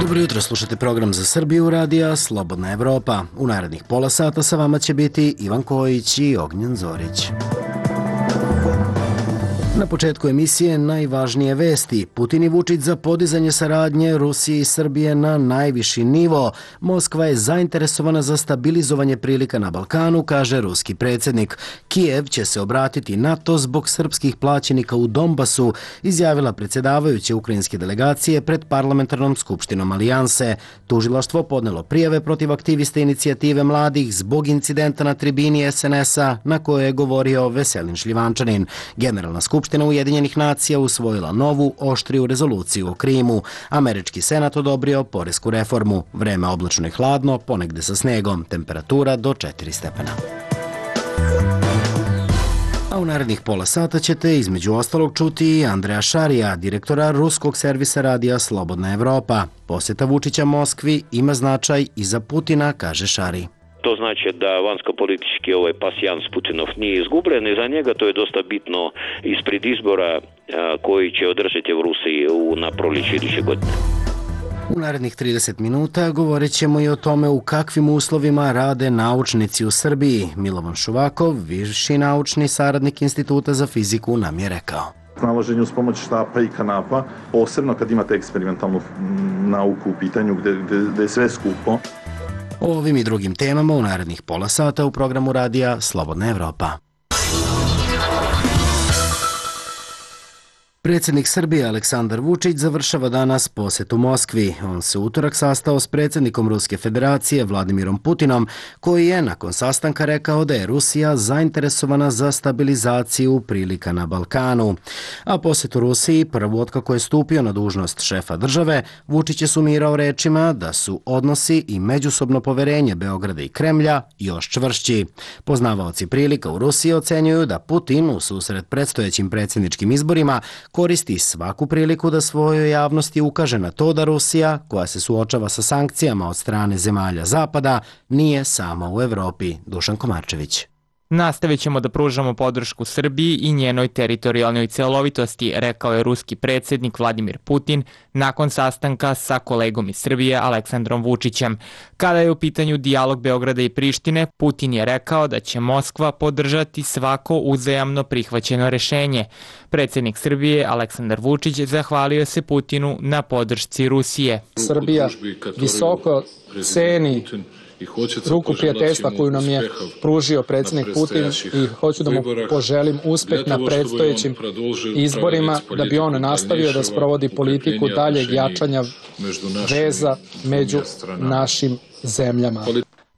Dobro jutro, slušate program za Srbiju radija Slobodna Evropa. U narednih pola sata sa vama će biti Ivan Kojić i Ognjen Zorić. Na početku emisije najvažnije vesti. Putin i Vučić za podizanje saradnje Rusije i Srbije na najviši nivo. Moskva je zainteresovana za stabilizovanje prilika na Balkanu, kaže ruski predsjednik. Kijev će se obratiti NATO zbog srpskih plaćenika u Donbasu, izjavila predsjedavajuća ukrajinske delegacije pred parlamentarnom skupštinom Alijanse. Tužilaštvo podnelo prijave protiv aktivista inicijative mladih zbog incidenta na tribini SNS-a na kojoj je govorio Veselin Šljivančanin. Generalna skupština Ujedinjenih nacija usvojila novu, oštriju rezoluciju o Krimu. Američki senat odobrio poresku reformu. Vreme oblačno i hladno, ponegde sa snegom. Temperatura do 4 stepena. A u narednih pola sata ćete između ostalog čuti i Andreja Šarija, direktora ruskog servisa radija Slobodna Evropa. Posjeta Vučića Moskvi ima značaj i za Putina, kaže Šari. To znači da vanjsko-politički pasijans Putinov nije izgubljen i za njega to je dosta bitno ispred izbora koji će održati u Rusiji na proljeće iduće godine. U narednih 30 minuta govorit ćemo i o tome u kakvim uslovima rade naučnici u Srbiji. Milovan Šuvakov, viši naučni saradnik Instituta za fiziku, nam je rekao. Snalaženje uz pomoć štapa i kanapa, posebno kad imate eksperimentalnu nauku u pitanju gde je sve skupo. O ovim i drugim temama u narednih pola sata u programu radija Slobodna Evropa. Predsjednik Srbije Aleksandar Vučić završava danas posjet u Moskvi. On se u utorak sastao s predsjednikom Ruske federacije Vladimirom Putinom, koji je nakon sastanka rekao da je Rusija zainteresovana za stabilizaciju prilika na Balkanu. A posjet u Rusiji, prvu otkako je stupio na dužnost šefa države, Vučić je sumirao rečima da su odnosi i međusobno poverenje Beograda i Kremlja još čvršći. Poznavaoci prilika u Rusiji ocenjuju da Putin u susret predstojećim predsjedničkim izborima koristi svaku priliku da svojoj javnosti ukaže na to da Rusija, koja se suočava sa sankcijama od strane zemalja Zapada, nije sama u Evropi. Dušan Komarčević. Nastavit ćemo da pružamo podršku Srbiji i njenoj teritorijalnoj celovitosti, rekao je ruski predsjednik Vladimir Putin nakon sastanka sa kolegom iz Srbije Aleksandrom Vučićem. Kada je u pitanju dijalog Beograda i Prištine, Putin je rekao da će Moskva podržati svako uzajamno prihvaćeno rešenje. Predsjednik Srbije Aleksandar Vučić zahvalio se Putinu na podršci Rusije. Srbija visoko ceni ruku prijateljstva koju nam je pružio predsjednik Putin i hoću da mu poželim uspeh na predstojećim izborima da bi on nastavio da sprovodi politiku daljeg jačanja veza među našim zemljama.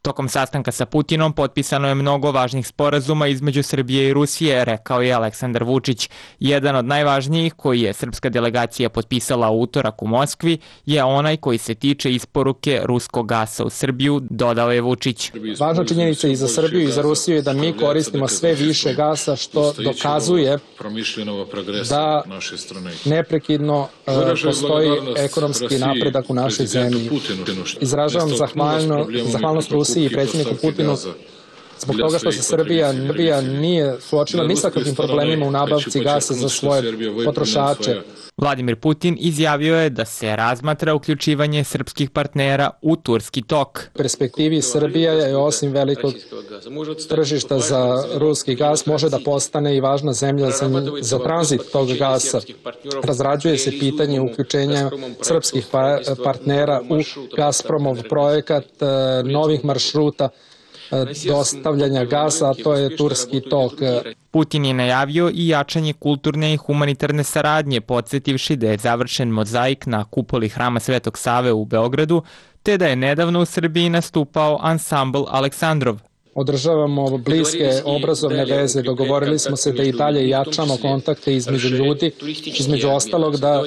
Tokom sastanka sa Putinom potpisano je mnogo važnih sporazuma između Srbije i Rusije, rekao je Aleksandar Vučić. Jedan od najvažnijih koji je srpska delegacija potpisala u utorak u Moskvi je onaj koji se tiče isporuke ruskog gasa u Srbiju, dodao je Vučić. Važna činjenica i za Srbiju i za Rusiju je da mi koristimo sve više gasa, što dokazuje da neprekidno postoji ekonomski napredak u našoj zemlji. Izražavam zahvalnost Rusiji i predsjedniku Putinu zbog toga što se Srbija nije suočila ni sa kakvim problemima u nabavci gasa za svoje potrošače. Vladimir Putin izjavio je da se razmatra uključivanje srpskih partnera u Turski tok. U perspektivi Srbija je osim velikog tržišta za ruski gas može da postane i važna zemlja za tranzit tog gasa. Razrađuje se pitanje uključenja srpskih partnera u Gazpromov projekat novih maršruta dostavljanja gasa, a to je Turski tok. Putin je najavio i jačanje kulturne i humanitarne saradnje, podsjetivši da je završen mozaik na kupoli Hrama Svetog Save u Beogradu, te da je nedavno u Srbiji nastupao ansambl Aleksandrov. Održavamo bliske obrazovne veze, dogovorili smo se da i dalje jačamo kontakte između ljudi, između ostalog da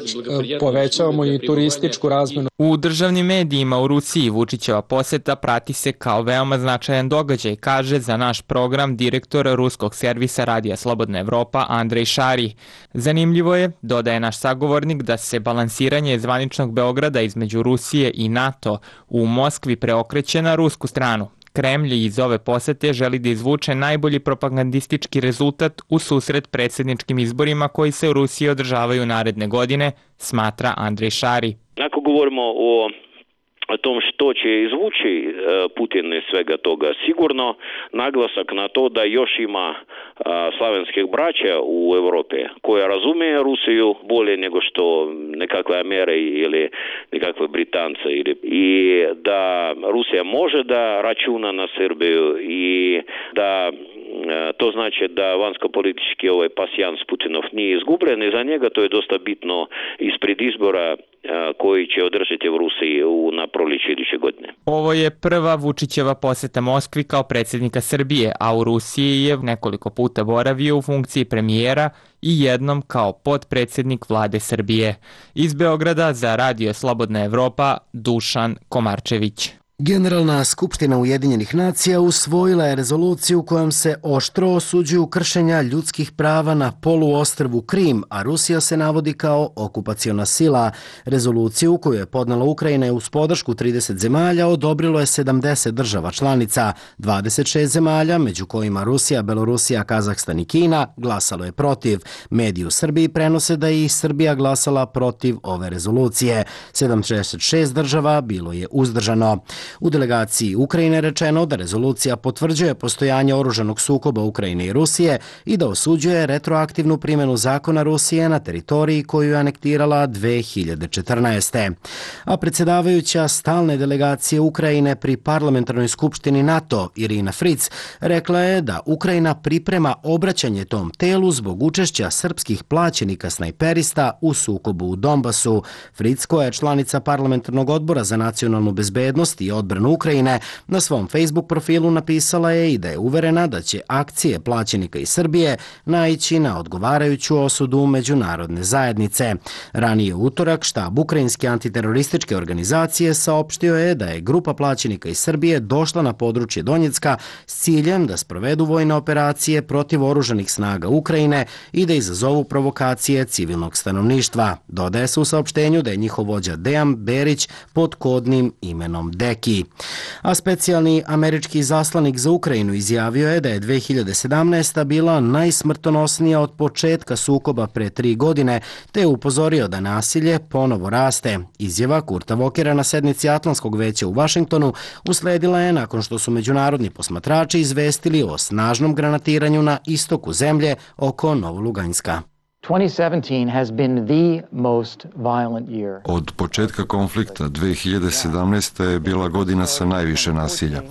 povećavamo i turističku razmenu. U državnim medijima u Rusiji Vučićeva poseta prati se kao veoma značajan događaj, kaže za naš program direktor ruskog servisa radija Slobodna Evropa Andrej Šari. Zanimljivo je, dodaje naš sagovornik, da se balansiranje zvaničnog Beograda između Rusije i NATO u Moskvi preokreće na rusku stranu. Kremlj iz ove posete želi da izvuče najbolji propagandistički rezultat u susret predsjedničkim izborima koji se u Rusiji održavaju naredne godine, smatra Andrej Šari. Ako govorimo o o tom što će izvući Putin iz svega toga. Sigurno naglasak na to da još ima slavenskih braća u Europi koja razumije Rusiju bolje nego što nekakve Amere ili nekakve Britance. I da Rusija može da računa na Srbiju i da to znači da vanjsko-politički pasijans Putinov nije izgubljen i za njega to je dosta bitno ispred izbora koji će održati u Rusiji na proljeće iduće godine. Ovo je prva Vučićeva poseta Moskvi kao predsjednika Srbije, a u Rusiji je nekoliko puta boravio u funkciji premijera i jednom kao potpredsjednik vlade Srbije. Iz Beograda za Radio Slobodna Evropa, Dušan Komarčević. Generalna skupština Ujedinjenih nacija usvojila je rezoluciju kojom se oštro osuđuju kršenja ljudskih prava na poluostrvu Krim, a Rusija se navodi kao okupaciona sila. Rezoluciju koju je podnela Ukrajina uz podršku 30 zemalja odobrilo je 70 država članica. 26 zemalja, među kojima Rusija, Belorusija, Kazahstan i Kina, glasalo je protiv. Mediji u Srbiji prenose da je i Srbija glasala protiv ove rezolucije. 76 država bilo je uzdržano. U delegaciji Ukrajine rečeno da rezolucija potvrđuje postojanje oružanog sukoba Ukrajine i Rusije i da osuđuje retroaktivnu primjenu zakona Rusije na teritoriji koju je anektirala 2014. A predsjedavajuća stalne delegacije Ukrajine pri parlamentarnoj skupštini NATO Irina Fric rekla je da Ukrajina priprema obraćanje tom telu zbog učešća srpskih plaćenika snajperista u sukobu u Donbasu. Fric, koja je članica parlamentarnog odbora za nacionalnu bezbednost i odbranu Ukrajine, na svom Facebook profilu napisala je i da je uverena da će akcije plaćenika iz Srbije naići na odgovarajuću osudu međunarodne zajednice. Ranije u utorak štab ukrajinske antiterorističke organizacije saopštio je da je grupa plaćenika iz Srbije došla na područje Donjecka s ciljem da sprovedu vojne operacije protiv oružanih snaga Ukrajine i da izazovu provokacije civilnog stanovništva. Dodaje se u saopštenju da je njihov vođa Dejan Berić pod kodnim imenom Deki. A specijalni američki zaslanik za Ukrajinu izjavio je da je 2017. bila najsmrtonosnija od početka sukoba pre 3 godine, te je upozorio da nasilje ponovo raste. Izjava Kurta Vokera na sednici Atlantskog veća u Vašingtonu usledila je nakon što su međunarodni posmatrači izvestili o snažnom granatiranju na istoku zemlje oko Novoluganjska. Od početka konflikta 2017. je bila godina sa najviše nasilja.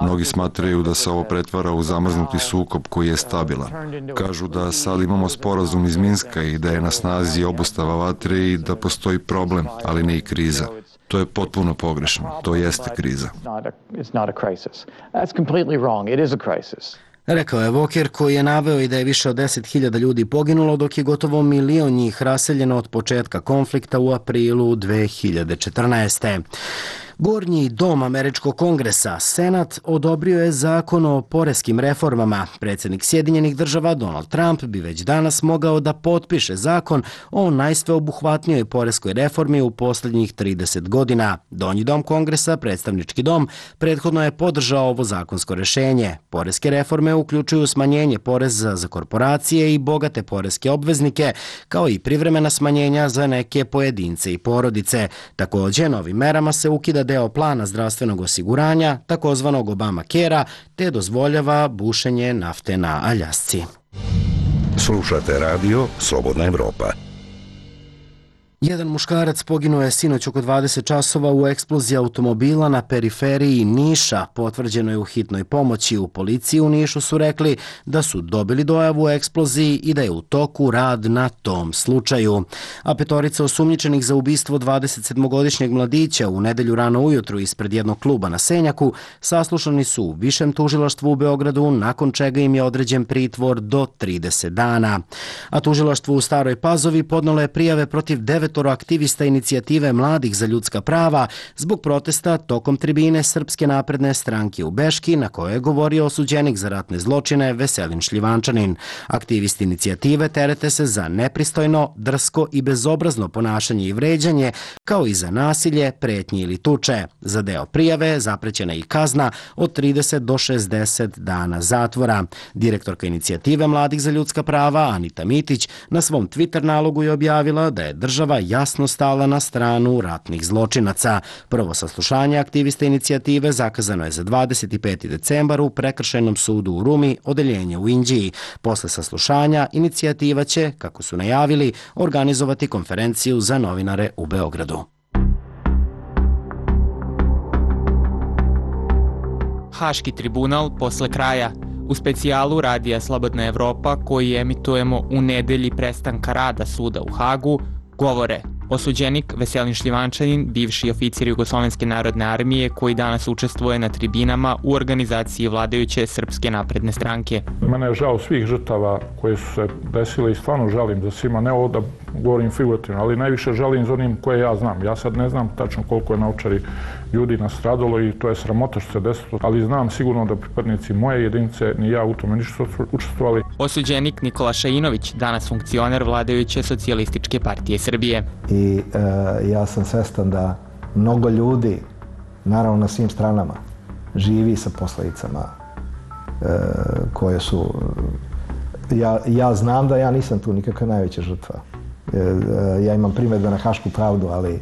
Mnogi smatraju da se ovo pretvara u zamrznuti sukob koji je stabilan. Kažu da sad imamo sporazum iz Minska i da je na snazi obustava vatre i da postoji problem, ali ne i kriza. To je potpuno pogrešno. To jeste kriza. Rekao je Voker, koji je naveo i da je više od 10.000 ljudi poginulo, dok je gotovo 1 milion njih raseljeno od početka konflikta u aprilu 2014. Gornji dom Američkog kongresa, Senat, odobrio je zakon o poreskim reformama. Predsjednik Sjedinjenih država Donald Trump bi već danas mogao da potpiše zakon o najsveobuhvatnijoj poreskoj reformi u posljednjih 30 godina. Donji dom kongresa, predstavnički dom, prethodno je podržao ovo zakonsko rješenje. Poreske reforme uključuju smanjenje poreza za korporacije i bogate poreske obveznike, kao i privremena smanjenja za neke pojedince i porodice. Također, novim merama se ukida deo plana zdravstvenog osiguranja, takozvanog Obamacare-a, te dozvoljava bušenje nafte na Aljasci. Slušate radio Slobodna Evropa. Jedan muškarac poginuo je sinoć oko 20 časova u eksploziji automobila na periferiji Niša. Potvrđeno je u hitnoj pomoći. U policiji u Nišu su rekli da su dobili dojavu o eksploziji i da je u toku rad na tom slučaju. A petorica osumnjičenih za ubistvo 27-godišnjeg mladića u nedelju rano ujutru ispred jednog kluba na Senjaku saslušani su u Višem tužilaštvu u Beogradu, nakon čega im je određen pritvor do 30 dana. A tužilaštvo u Staroj Pazovi podnelo je prijave protiv 9 aktivista inicijative Mladih za ljudska prava zbog protesta tokom tribine Srpske napredne stranke u Beški, na kojoj je govorio osuđenik za ratne zločine Veselin Šljivančanin. Aktivisti inicijative terete se za nepristojno, drsko i bezobrazno ponašanje i vređanje, kao i za nasilje, pretnje ili tuče. Za deo prijave zaprećena i kazna od 30 do 60 dana zatvora. Direktorka inicijative Mladih za ljudska prava Anita Mitić na svom Twitter nalogu je objavila da je država jasno stala na stranu ratnih zločinaca. Prvo saslušanje aktiviste inicijative zakazano je za 25. decembar u Prekršajnom sudu u Rumi, odeljenje u Inđiji. Posle saslušanja inicijativa će, kako su najavili, organizovati konferenciju za novinare u Beogradu. Haški tribunal posle kraja. U specijalu Radija Slobodna Evropa, koji emitujemo u nedelji prestanka rada suda u Hagu, govore osuđenik Veselin Šljivančanin, bivši oficir Jugoslovenske narodne armije koji danas učestvuje na tribinama u organizaciji vladajuće Srpske napredne stranke. Mene je žao svih žrtava koje su se desile i stvarno žalim za svima, ne ovo da govorim figurativno, ali najviše žalim za onim koje ja znam. Ja sad ne znam tačno koliko je na Ovčari ljudi nastradalo i to je sramota što se desilo, ali znam sigurno da pripadnici moje jedinice ni ja u tome nisu učestvovali. Osuđenik Nikola Šainović, danas funkcioner vladajuće Socijalističke partije Srbije. I ja sam svestan da mnogo ljudi, naravno na svim stranama, živi sa posledicama koje su... Ja znam da ja nisam tu nikakva najveća žrtva. Ja imam primjedbe na Hašku pravdu, ali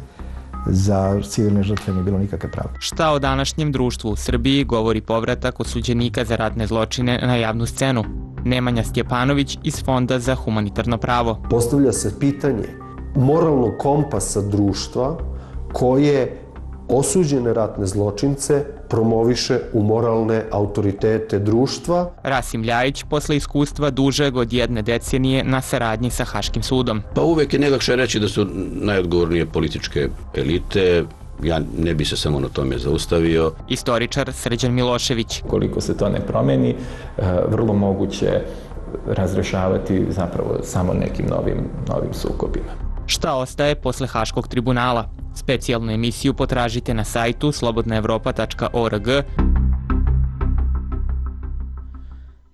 za civilne žrtve nije bilo nikakve pravde. Šta o današnjem društvu u Srbiji govori povratak osuđenika za ratne zločine na javnu scenu? Nemanja Stjepanović iz Fonda za humanitarno pravo. Postavlja se pitanje moralnog kompasa društva koje osuđene ratne zločince promoviše u moralne autoritete društva. Rasim Ljajić, posle iskustva dužeg od 1 decenije na saradnji sa Haškim sudom. Pa uvek je najlakše reći da su najodgovornije političke elite. Ja ne bi se samo na tome zaustavio. Istoričar Srđan Milošević. Koliko se to ne promeni, vrlo moguće razrešavati zapravo samo nekim novim sukobima. Šta ostaje posle Haškog tribunala? Specijalnu emisiju potražite na sajtu slobodnaevropa.org.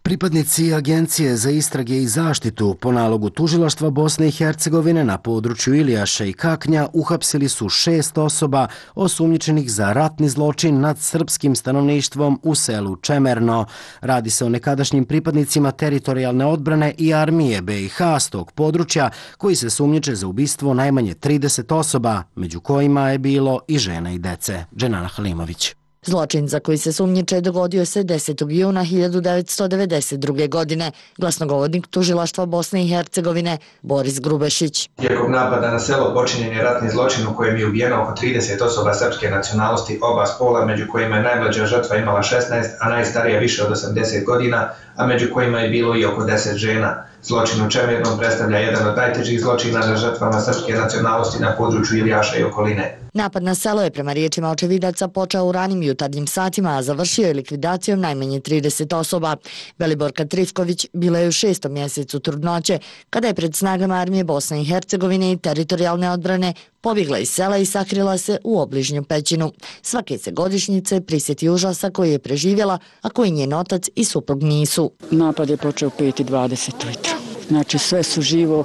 Pripadnici Agencije za istrage i zaštitu po nalogu Tužilaštva Bosne i Hercegovine na području Ilijaša i Kaknja uhapsili su 6 osoba osumnjičenih za ratni zločin nad srpskim stanovništvom u selu Čemerno. Radi se o nekadašnjim pripadnicima teritorijalne odbrane i armije BiH s tog područja koji se sumnjiče za ubistvo najmanje 30 osoba, među kojima je bilo i žena i dece. Dženana Halimović. Zločin za koji se sumnjiče dogodio se 10. juna 1992. godine, glasnogovornik Tužilaštva Bosne i Hercegovine Boris Grubešić. Tijekom napada na selo počinjen je ratni zločin u kojem je ubijeno oko 30 osoba srpske nacionalnosti oba spola, među kojima je najmlađa žrtva imala 16, a najstarija više od 80 godina, a među kojima je bilo i oko 10 žena. Zločin u Čemernom predstavlja jedan od najtežih zločina na žrtvama srpske nacionalnosti na području Ilijaša i okoline. Napad na selo je prema riječima očevidaca počeo u ranim jutarnjim satima, a završio je likvidacijom najmanje 30 osoba. Beliborka Trifković bila je u 6. mjesecu trudnoće, kada je pred snagama armije Bosne i Hercegovine i teritorijalne odbrane pobjegla iz sela i sakrila se u obližnju pećinu. Svake se godišnjice prisjeti užasa koji je preživjela, a koji njen otac i suprug nisu. Napad je počeo 5:20 ujutro. Znači sve su živo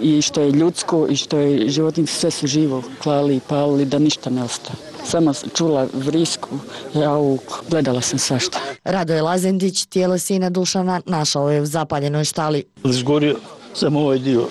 i što je ljudsko i što je životinjsko, sve su živo klali i palili da ništa ne ostaje. Samo čula vrisku, jauk, gledala sam svašta. Radoje Lazendić, tijelo sina Dušana, našao je u zapaljenoj štali. Zgorio sam ovaj dio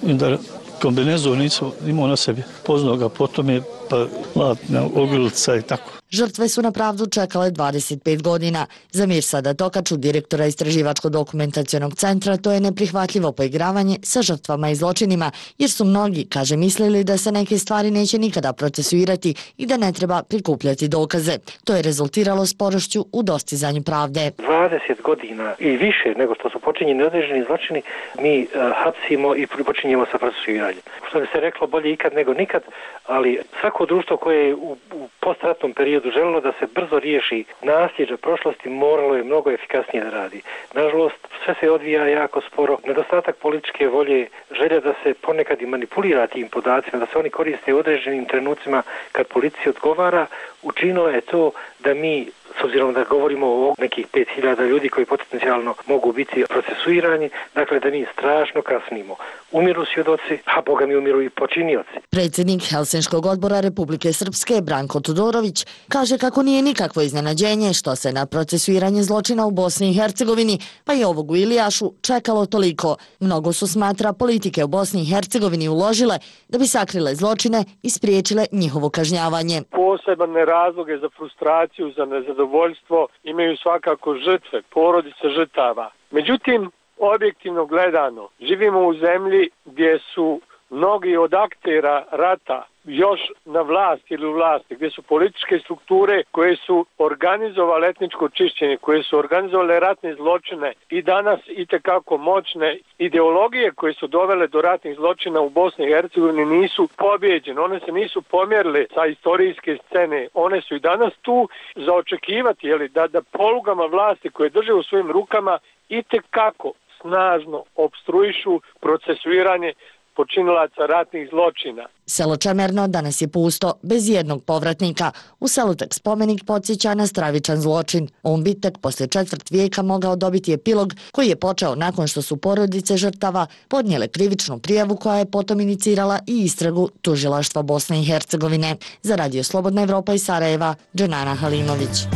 i da kombinezon nisam imao na sebi. Poznao ga, potom je pa latna ogrlica i tako. Žrtve su na pravdu čekale 25 godina. Za Mirsada Tokaču, direktora Istraživačko-dokumentacionog centra, to je neprihvatljivo poigravanje sa žrtvama i zločinima, jer su mnogi, kaže, mislili da se neke stvari neće nikada procesuirati i da ne treba prikupljati dokaze. To je rezultiralo sporošću u dostizanju pravde. 20 godina i više nego što su počinjeni određeni zločini, mi hapsimo i počinjemo sa procesuiranjem. Što bi se reklo, bolje ikad nego nikad, ali svako društvo koje je u postratnom periodu želilo da se brzo riješi nasljeđa prošlosti, moralo je mnogo efikasnije da radi. Nažalost, sve se odvija jako sporo. Nedostatak političke volje, želja da se ponekad i manipulira tim podacima, da se oni koriste u određenim trenucima kad policija odgovara, učinilo je to da mi s obzirom da govorimo o nekih 5000 ljudi koji potencijalno mogu biti procesuirani, dakle da mi strašno kasnimo. Umiru svjedoci, a boga mi umiru i počinioci. Predsjednik Helsinškog odbora Republike Srpske Branko Todorović kaže kako nije nikakvo iznenađenje što se na procesuiranje zločina u Bosni i Hercegovini, pa i ovog u Ilijašu, čekalo toliko. Mnogo su, smatra, politike u Bosni i Hercegovini uložile da bi sakrile zločine i spriječile njihovo kažnjavanje. Posebne razloge za frustraciju, za nezadovoljstvo imaju svakako žrtve, porodice žrtava. Međutim, objektivno gledano, živimo u zemlji gdje su mnogi od aktera rata još na vlasti ili u vlasti, gdje su političke strukture koje su organizovale etničko čišćenje, koje su organizovale ratne zločine i danas itekako moćne ideologije koje su dovele do ratnih zločina u Bosni i Hercegovini nisu pobjeđene, one se nisu pomjerile sa istorijske scene, one su i danas tu za očekivati da polugama vlasti koje drže u svojim rukama itekako snažno opstruišu procesuiranje počinilaca ratnih zločina. Selo Čemerno danas je pusto, bez jednog povratnika. U selu tek spomenik podsjeća na stravičan zločin. On bi tek poslije 1/4 vijeka mogao dobiti epilog koji je počeo nakon što su porodice žrtava podnijele krivičnu prijavu koja je potom inicirala i istragu tužilaštva Bosne i Hercegovine. Za Radio Slobodna Evropa iz Sarajeva, Dženana Halimović.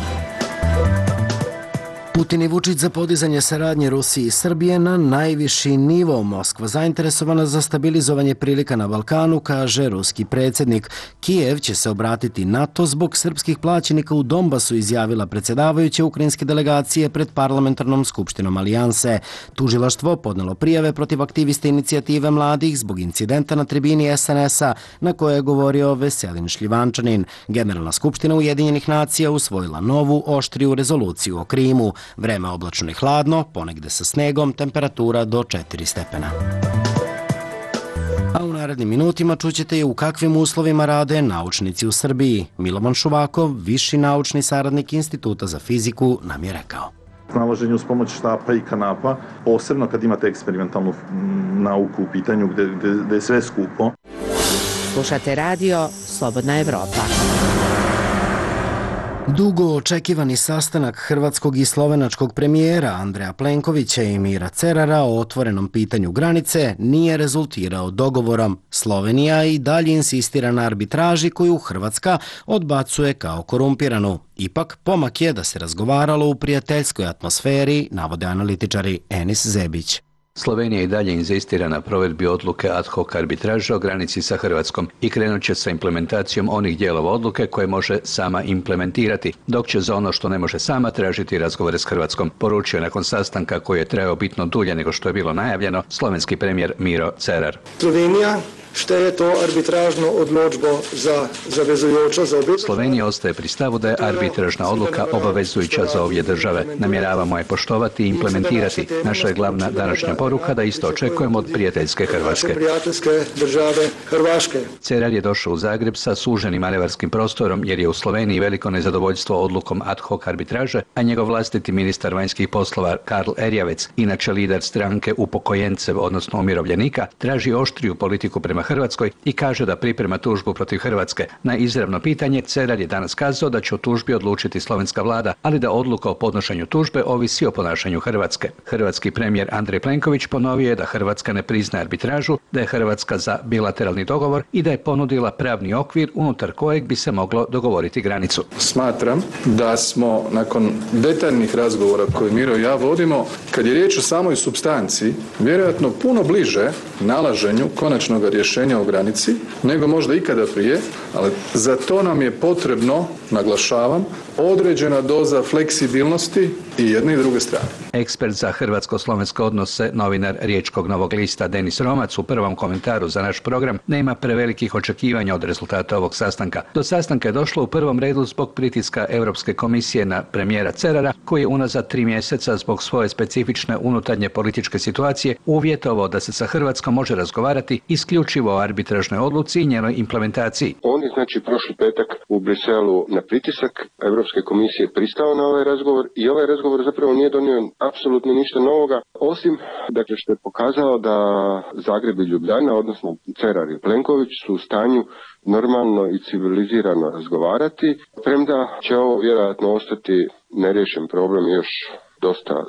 Putin i Vučić za podizanje saradnje Rusije i Srbije na najviši nivo. Moskva zainteresovana za stabilizovanje prilika na Balkanu, kaže ruski predsjednik. Kijev će se obratiti NATO zbog srpskih plaćenika u Donbasu, izjavila predsjedavajuća ukrajinske delegacije pred parlamentarnom skupštinom Alijanse. Tužilaštvo podnelo prijave protiv aktiviste inicijative mladih zbog incidenta na tribini SNS-a na kojoj je govorio Veselin Šljivančanin. Generalna skupština Ujedinjenih nacija usvojila novu, oštriju rezoluciju o Krimu. Vreme oblačno i hladno, ponegde sa snegom, temperatura do 4 stepena. A u narednim minutima čućete i u kakvim uslovima rade naučnici u Srbiji. Milovan Šuvakov, viši naučni saradnik Instituta za fiziku, nam je rekao. Snalaženje uz pomoć štapa i kanapa, posebno kad imate eksperimentalnu nauku u pitanju gde je sve skupo. Slušate radio Slobodna Evropa. Dugo očekivani sastanak hrvatskog i slovenačkog premijera Andreja Plenkovića i Mira Cerara o otvorenom pitanju granice nije rezultirao dogovorom. Slovenija i dalje insistira na arbitraži koju Hrvatska odbacuje kao korumpiranu. Ipak, pomak je da se razgovaralo u prijateljskoj atmosferi, navode analitičari Enis Zebić. Slovenija i dalje inzistira na provedbi odluke ad hoc arbitraže o granici sa Hrvatskom i krenut će sa implementacijom onih dijelova odluke koje može sama implementirati, dok će za ono što ne može sama tražiti razgovore s Hrvatskom, poručio nakon sastanka koji je trajao bitno dulje nego što je bilo najavljeno slovenski premijer Miro Cerar. Slovenija šteje to arbitražno odločbo za zavezujočo za obje. Slovenija ostaje pri stavu da je arbitražna odluka obavezujuća za obje države. Namjeravamo je poštovati i implementirati. Naša je glavna današnja poruka da isto očekujemo od prijateljske Hrvatske. Cerar je došao u Zagreb sa suženim manevarskim prostorom jer je u Sloveniji veliko nezadovoljstvo odlukom ad hoc arbitraže, a njegov vlastiti ministar vanjskih poslova Karl Erjavec, inače lider stranke upokojencev, odnosno umirovljenika, traži oštriju politiku prema Hrvatskoj i kaže da priprema tužbu protiv Hrvatske. Na izravno pitanje Cerar je danas kazao da će o tužbi odlučiti slovenska vlada, ali da odluka o podnošenju tužbe ovisi o ponašanju Hrvatske. Hrvatski premijer Andrej Plenković ponovio je da Hrvatska ne priznaje arbitražu, da je Hrvatska za bilateralni dogovor i da je ponudila pravni okvir unutar kojeg bi se moglo dogovoriti granicu. Smatram da smo nakon detaljnih razgovora koje Miro i ja vodimo, kad je riječ o samoj supstanci, vjerojatno puno bliže nalaženju konačnog rješenja o granici nego možda ikada prije, ali za to nam je potrebno, naglašavam, određena doza fleksibilnosti i jedne i druge strane. Ekspert za hrvatsko-slovenske odnose, novinar Riječkog Novog lista Denis Romac u prvom komentaru za naš program nema prevelikih očekivanja od rezultata ovog sastanka. Do sastanka je došlo u prvom redu zbog pritiska Europske komisije na premijera Cerara, koji je unazad 3 mjeseca zbog svoje specifične unutarnje političke situacije uvjetovao da se sa Hrvatskom može razgovarati isključivo o arbitražnoj odluci i njenoj implementaciji. On je prošli petak u Briselu na pritisak Europske komisije pristao na ovaj razgovor i ovaj razgovor razgovor zapravo nije donio apsolutno ništa novoga, osim dakle, što je pokazao da Zagreb i Ljubljana, odnosno Cerar i Plenković su u stanju normalno i civilizirano razgovarati, premda će ovo vjerojatno ostati neriješen problem još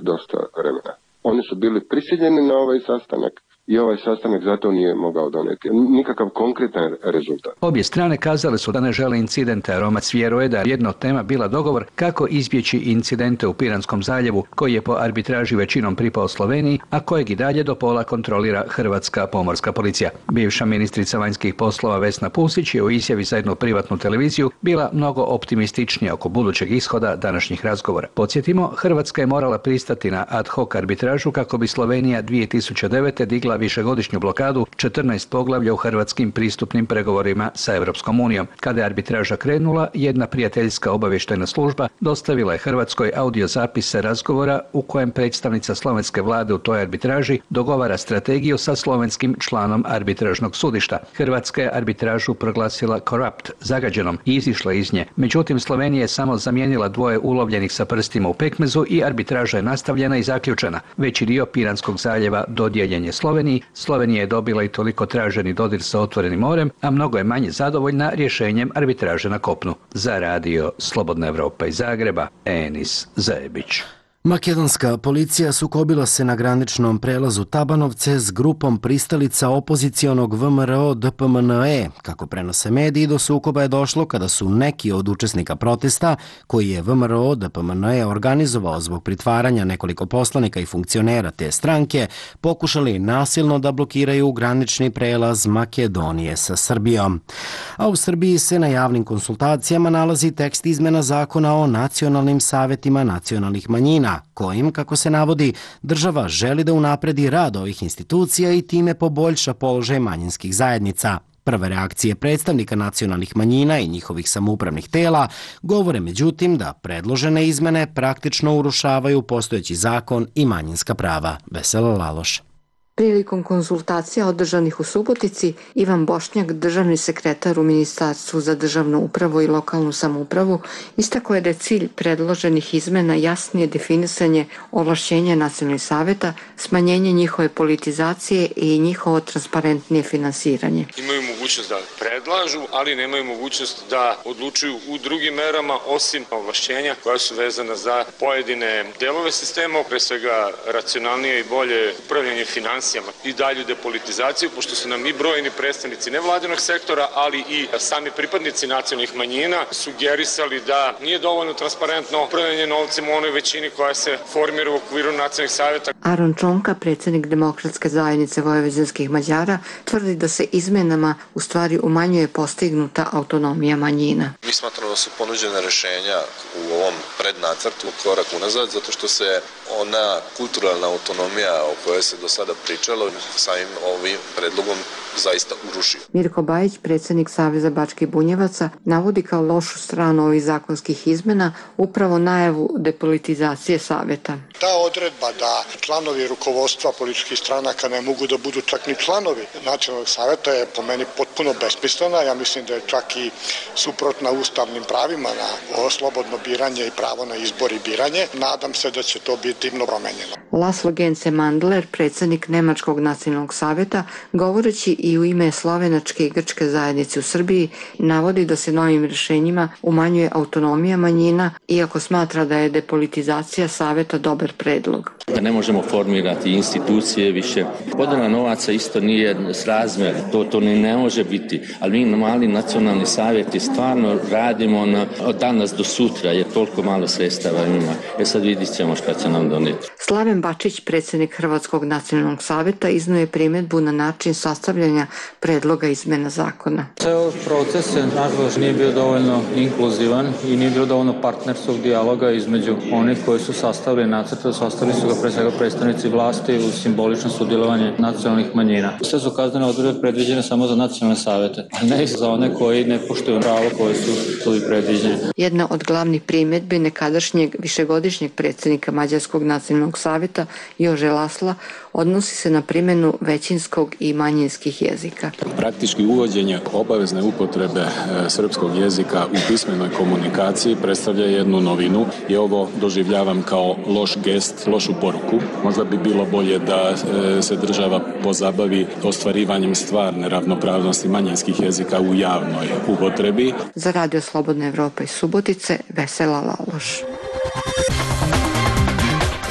dosta vremena. Oni su bili prisiljeni na ovaj sastanak i ovaj sastanak zato nije mogao doneti nikakav konkretan rezultat. Obje strane kazale su da ne žele incidente, a Romac vjeruje da je jedna od tema bila dogovor kako izbjeći incidente u Piranskom zaljevu, koji je po arbitraži većinom pripao Sloveniji, a kojeg i dalje do pola kontrolira Hrvatska pomorska policija. Bivša ministrica vanjskih poslova Vesna Pusić je u izjavi za jednu privatnu televiziju bila mnogo optimističnija oko budućeg ishoda današnjih razgovora. Podsjetimo, Hrvatska je morala pristati na ad hoc arbitražu kako bi Slovenija 2009. digla višegodišnju blokadu 14 poglavlja u hrvatskim pristupnim pregovorima sa Europskom unijom. Kada je arbitraža krenula, jedna prijateljska obavještajna služba dostavila je Hrvatskoj audiozapise razgovora u kojem predstavnica slovenske vlade u toj arbitraži dogovara strategiju sa slovenskim članom arbitražnog sudišta. Hrvatska je arbitražu proglasila corrupt, zagađenom, i izišla iz nje. Međutim, Slovenija je samo zamijenila dvoje ulovljenih sa prstima u pekmezu i arbitraža je nastavljena i zaključena. Veći dio Piranskog zaljeva dodijeljen je Sloveniji. Slovenija je dobila i toliko traženi dodir sa otvorenim morem, a mnogo je manje zadovoljna rješenjem arbitraže na kopnu. Za radio Slobodna Evropa iz Zagreba, Enis Zajebić. Makedonska policija sukobila se na graničnom prelazu Tabanovce s grupom pristalica opozicionog VMRO DPMNE. Kako prenose mediji, do sukoba je došlo kada su neki od učesnika protesta, koji je VMRO DPMNE organizovao zbog pritvaranja nekoliko poslanika i funkcionera te stranke, pokušali nasilno da blokiraju granični prelaz Makedonije sa Srbijom. A u Srbiji se na javnim konsultacijama nalazi tekst izmena zakona o nacionalnim savetima nacionalnih manjina, kojim, kako se navodi, država želi da unapredi rad ovih institucija i time poboljša položaj manjinskih zajednica. Prve reakcije predstavnika nacionalnih manjina i njihovih samoupravnih tela govore međutim da predložene izmene praktično urušavaju postojeći zakon i manjinska prava. Vesela Laloš. Prilikom konsultacija održanih u Subotici, Ivan Bošnjak, državni sekretar u Ministarstvu za državnu upravu i lokalnu samoupravu, istakao je da je cilj predloženih izmena jasnije definisanje ovlašćenja nacionalnih saveta, smanjenje njihove politizacije i njihovo transparentnije finansiranje. Imaju mogućnost da predlažu, ali nemaju mogućnost da odlučuju u drugim merama, osim ovlašćenja koja su vezana za pojedine delove sistema, pre svega racionalnije i bolje upravljanje financijama i dalju depolitizaciju, pošto su nam i brojni predstavnici nevladinog sektora, ali i sami pripadnici nacionalnih manjina sugerisali da nije dovoljno transparentno upravljanje novcem u onoj većini koja se formira u okviru nacionalnih savjeta. Aron Čonka, predsjednik Demokratske zajednice vojvođanskih Mađara, tvrdi da se izmenama u stvari umanjuje postignuta autonomija manjina. Mi smatramo da su ponuđene rješenja u ovom prednacrtu korak unazad, zato što se ona kulturalna autonomija o kojoj se do sada pričalo samim ovim predlogom zaista urušio. Mirko Bajić, predsjednik Saveza Bačkih Bunjevaca, navodi kao lošu stranu ovih zakonskih izmena upravo najavu depolitizacije saveta. Ta odredba da članovi rukovodstva političkih stranaka ne mogu da budu čak ni članovi nacionalnog saveta je po meni potpuno besmislena. Ja mislim da je čak i suprotna ustavnim pravima na slobodno biranje i pravo na izbor i biranje. Nadam se da će to biti promenjeno. Laslo Gence Mandler, predsjednik Nemačkog nacionalnog saveta, govoreći i u ime slovenačke i grčke zajednice u Srbiji, navodi da se novim rješenjima umanjuje autonomija manjina, iako smatra da je depolitizacija saveta dobar predlog. Da ne možemo formirati institucije više. Podjela novaca isto nije srazmjer, to ni ne može biti, ali mi mali nacionalni savjeti stvarno radimo od danas do sutra, jer toliko malo sredstava ima. Sad vidit ćemo šta će nam doneti. Slaven Bačić, predsjednik Hrvatskog nacionalnog savjeta, iznio je primjedbu na način sastavljanja predloga izmena zakona. Ceo proces nažalost nije bio dovoljno inkluzivan i nije bilo dovoljno partnerskog dijaloga između onih koji su sastavili nacrte, sastavili su ga pre svega predstavnici vlasti u simbolično sudjelovanje nacionalnih manjina. Sve su kaznene odredbe predviđene samo za nacionalne savete, a ne za one koji ne poštuju pravo koje su predviđene. Jedna od glavnih primjedbi nekadašnjeg višegodišnjeg predsjednika Mađarskog nacionalnog savjeta Jože Lasla odnosi se na primjenu većinskog i manjinskih manjinskih jezika. Praktički uvođenje obavezne upotrebe srpskog jezika u pismenoj komunikaciji predstavlja jednu novinu i ovo doživljavam kao loš gest, lošu poruku. Možda bi bilo bolje da se država pozabavi ostvarivanjem stvarne ravnopravnosti manjinskih jezika u javnoj upotrebi. Za Radio Slobodna Evropa iz Subotice, Vesela Laloš.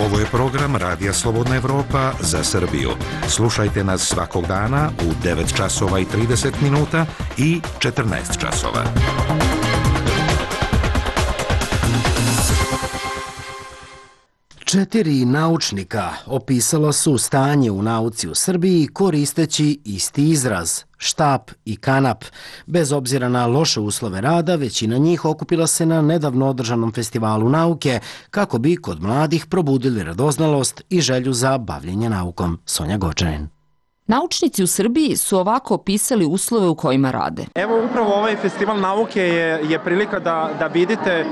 Ovo je program Radija Slobodna Evropa za Srbiju. Slušajte nas svakog dana u 9 časova i 30 minuta i 14 časova. Četiri naučnika opisala su stanje u nauci u Srbiji koristeći isti izraz – štap i kanap. Bez obzira na loše uslove rada, većina njih okupila se na nedavno održanom festivalu nauke kako bi kod mladih probudili radoznalost i želju za bavljenje naukom. Sonja Gočanin. Naučnici u Srbiji su ovako opisali uslove u kojima rade. Evo upravo ovaj festival nauke je prilika da vidite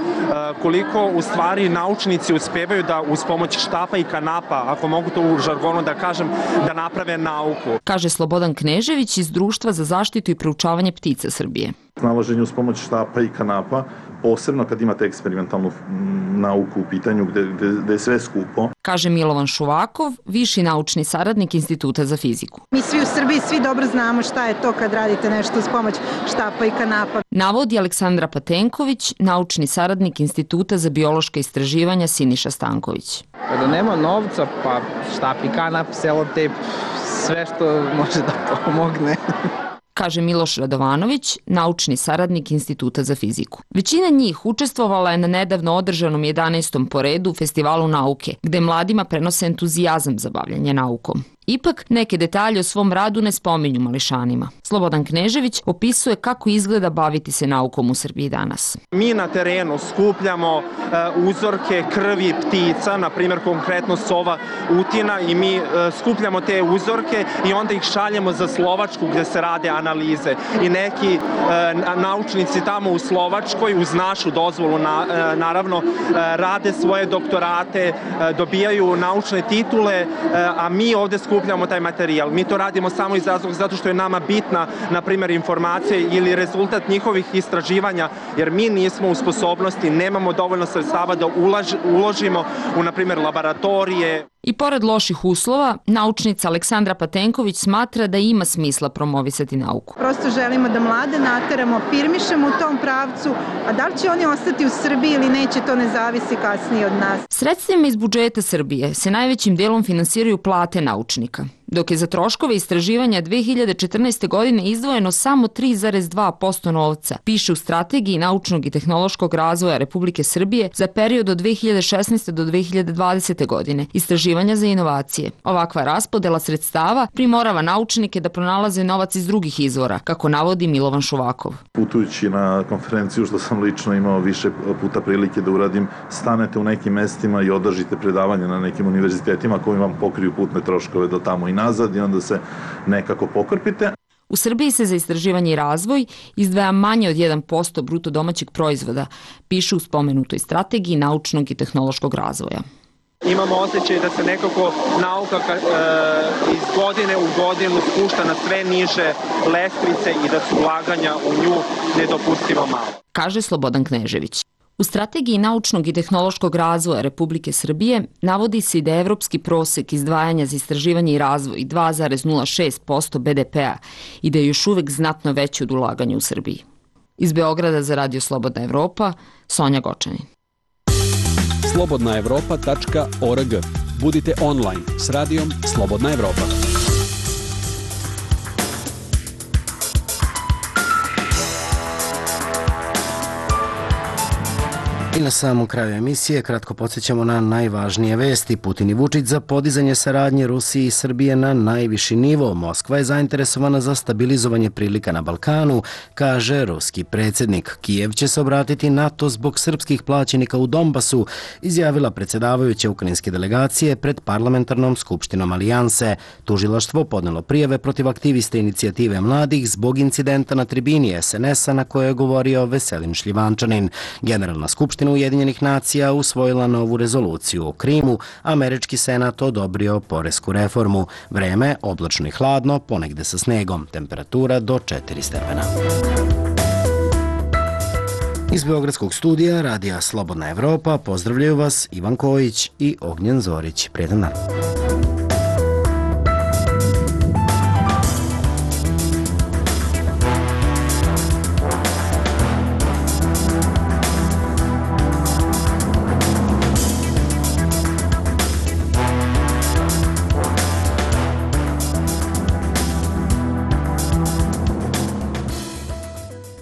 koliko u stvari naučnici uspevaju da uz pomoć štapa i kanapa, ako mogu to u žargonu da kažem, da naprave nauku. Kaže Slobodan Knežević iz Društva za zaštitu i proučavanje ptica Srbije. Snalaženje uz pomoć štapa i kanapa, posebno kad imate eksperimentalnu nauku u pitanju gde je sve skupo. Kaže Milovan Šuvakov, viši naučni saradnik Instituta za fiziku. Mi svi u Srbiji svi dobro znamo šta je to kad radite nešto uz pomoć štapa i kanapa. Navodi Aleksandra Patenković, naučni saradnik Instituta za biološka istraživanja Siniša Stanković. Kada nema novca, pa štap i kanap, selotejp, sve što može da pomogne. Kaže Miloš Radovanović, naučni saradnik Instituta za fiziku. Većina njih učestvovala je na nedavno održanom 11. po redu Festivalu nauke, gde mladima prenose entuzijazam za bavljanje naukom. Ipak, neke detalje o svom radu ne spominju mališanima. Slobodan Knežević opisuje kako izgleda baviti se naukom u Srbiji danas. Mi na terenu skupljamo uzorke krvi ptica, na primjer konkretno sova utina, i mi skupljamo te uzorke i onda ih šaljemo za Slovačku gdje se rade analize. I neki naučnici tamo u Slovačkoj uz našu dozvolu naravno rade svoje doktorate, dobijaju naučne titule, a mi ovdje skupljamo taj materijal. Mi to radimo samo iz razloga zato što je nama bitna, na primjer, informacija ili rezultat njihovih istraživanja, jer mi nismo u sposobnosti, nemamo dovoljno sredstava da uložimo u, na primjer, laboratorije. I pored loših uslova, naučnica Aleksandra Patenković smatra da ima smisla promovisati nauku. Prosto želimo da mlade nateramo, firmišemo u tom pravcu, a da li će oni ostati u Srbiji ili neće, to ne zavisi kasnije od nas. Sredstvima iz budžeta Srbije se najvećim delom finansiraju plate naučnika, dok je za troškove istraživanja 2014. godine izdvojeno samo 3,2% novca, piše u Strategiji naučnog i tehnološkog razvoja Republike Srbije za period od 2016. do 2020. godine, istraživanja za inovacije. Ovakva raspodela sredstava primorava naučnike da pronalaze novac iz drugih izvora, kako navodi Milovan Šuvakov. Putujući na konferenciju, što sam lično imao više puta prilike da uradim, stanete u nekim mestima i održite predavanje na nekim univerzitetima koji vam pokriju putne troškove do tamo i nazad i onda se nekako pokrpite. U Srbiji se za istraživanje i razvoj izdvaja manje od 1% bruto domaćeg proizvoda, piše u spomenutoj Strategiji naučnog i tehnološkog razvoja. Imamo osjećaj da se nekako nauka iz godine u godinu spušta na sve niže lestvice i da su ulaganja u nju nedopustivo malo. Kaže Slobodan Knežević. U Strategiji naučnog i tehnološkog razvoja Republike Srbije navodi se da je evropski prosek izdvajanja za istraživanje i razvoj 2,06% BDP-a i da je još uvek znatno veći od ulaganja u Srbiji. Iz Beograda za Radio Slobodna Evropa, Sonja Gočanin. slobodnaevropa.org. Budite online s radijom Slobodna Evropa. I na samom kraju emisije kratko podsjećamo na najvažnije vesti. Putin i Vučić za podizanje saradnje Rusije i Srbije na najviši nivo. Moskva je zainteresovana za stabilizovanje prilika na Balkanu, kaže ruski predsjednik. Kijev će se obratiti NATO zbog srpskih plaćenika u Donbasu, izjavila predsjedavajuća ukrajinske delegacije pred parlamentarnom skupštinom Alijanse. Tužilaštvo podnelo prijave protiv aktiviste inicijative mladih zbog incidenta na tribini SNS-a na kojoj je govorio Veselin Šljivančanin. Generalna skupština skupština Ujedinjenih nacija usvojila novu rezoluciju o Krimu, američki senat odobrio poresku reformu. Vreme oblačno i hladno, ponegde sa snegom, temperatura do 4 stepena. Iz Beogradskog studija Radija Slobodna Evropa pozdravljaju vas Ivan Kojić i Ognjen Zorić. Prijetan dan.